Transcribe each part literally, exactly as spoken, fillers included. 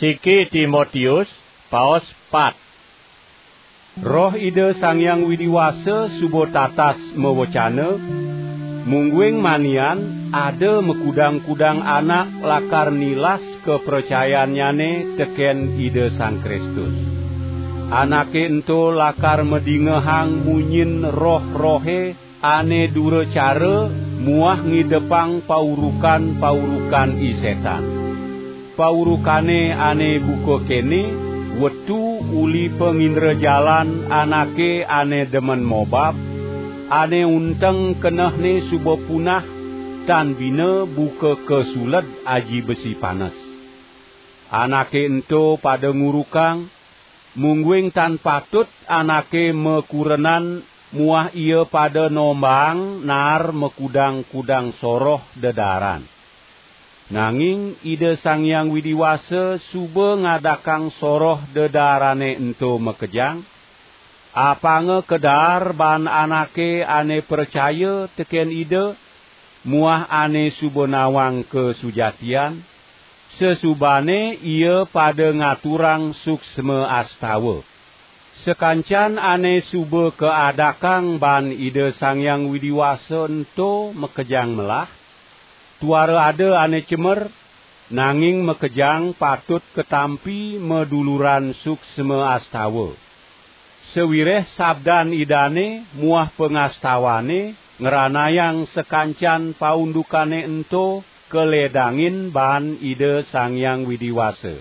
Siki Timotius, paos pat. Roh Ida Sang Hyang Widi Wasa suba tatas mawecana, mungguing manian ada makudang-kudang anak lakar nilas kapracayannyane teken Ida Sang Kristus. Anake ento lakar madingehang munyin roh-rohe ane duracara muah ngidepang paurukan-paurukan i setan. Paurukane ane buka kene, wetu uli pangindrajalan anake ane demen mobab, ane unteng kenehne suba punah, tan bina buka kasuled aji besi panes. Anake ento pada ngurukang, mungguing tan patut anake makurenan muah ia pada nombang naar makudang-kudang soroh dedaaran. Nanging Ida Sang Hyang Widi Wasa suba ngadakang soroh dedaarane ento makejang, apanga kadaar baan anake ane pracaya teken Ida, muah ane suba nawang kasujatian, sasubane ia pada ngaturang suksma astawa. Sakancan ane suba kaadakang baan Ida Sang Hyang Widi Wasa ento makejang melah, tuara ada ane cemer, nanging makejang patut katampi maduluran suksma astawa. Sawireh sabdan Idane muah pangastawane ngranayang sakancan paundukane ento kaledangin baan Ida Sang Hyang Widi Wasa.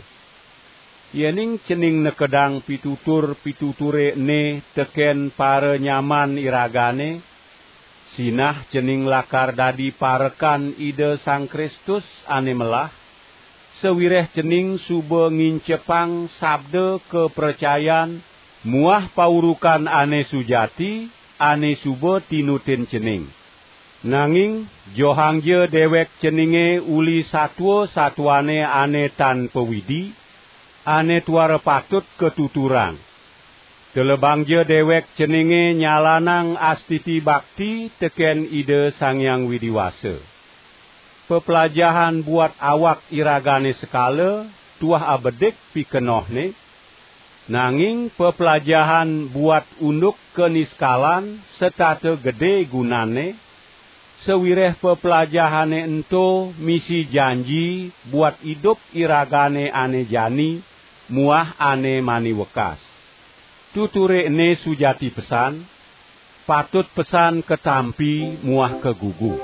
Yening cening nekedang pitutur-pituture ene teken paranyaman iragane, sinah cening lakar dadi parekan Ida Sang Kristus ane melah, sawireh cening suba ngincepang sabda kapracayan muah paurukan ane sujati ane suba tinutin cening. Nanging johangja dewek ceninge uli satua-satuane ane tan pawidi, ane tuara patut katuturang. Telebangja dewek ceninge nyalanang astiti bakti teken Ida Sang Hyang Widi Wasa. Peplajahan buat awak iragane sekala tuah abedik pikenohne, nanging peplajahan buat unduk kaniskalan setata gede gunanne, sawireh peplajahane ento misi janji buat idup iragane ane jani muah ane mani wekas. Tuture ene sujati pesan, patut pesan katampi muah kagugu.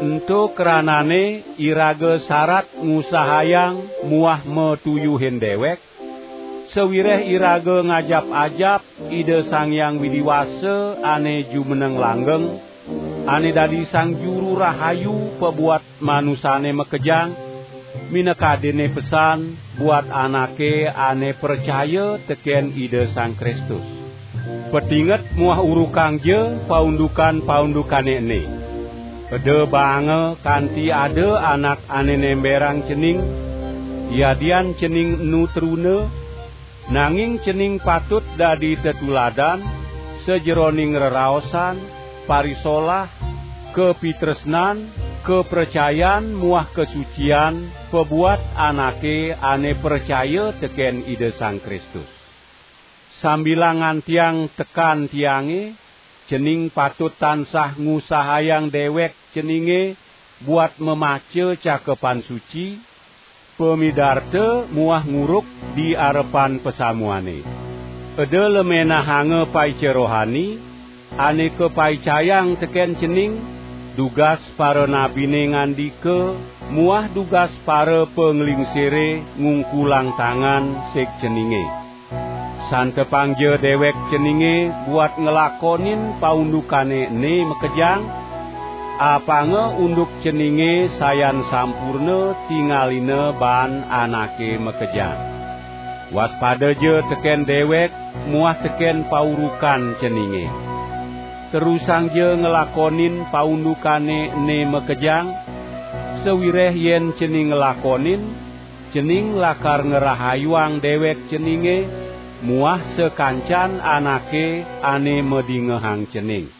Ento kranane iraga sarat ngusahayang muah matuyuhin dewek, sawireh iraga ngajap-ajap Ida Sang Hyang Widi Wasa ane jumeneng langgeng, ane dadi Sang Juru Rahayu pabuat manusane makejang, minakadinne pesan buat anake ane pracaya teken Ida Sang Kristus. Patinget muah urukangja paundukan-paundukane ene. Eda baanga kanti ada anak ane nemberang cening, yadian cening enu truna, nanging cening patut dadi tetuladan sajeroning reraosan, parisolah, kapitresnan, kapracayan muah kasucian pabuat anake ane pracaya teken Ida Sang Kristus. Sambilang ngantiang tekan tiange, cening patut tansah ngusahayang dewek ceninge buat mamaca Cakepan Suci, pamidarta muah nguruk di arepan pasamuane. Eda lemenahanga paica rohani, ane kapaicayang teken cening, dugas paranabine ngandika, muah dugas para panglingsire ngungkulang tangan sig ceninge. Santepangja dewek ceninge buat nglakonin paundukane ene makejang, apanga unduk ceninge sayan sampurna tingalina baan anake makejang. Waspadaja teken dewek muah teken paurukan ceninge. Terusangja nglakonin paundukane ene makejang, sawireh yen cening nglakonin, cening lakar ngrahayuang dewek ceninge muah sakancan anake ane madingehang cening.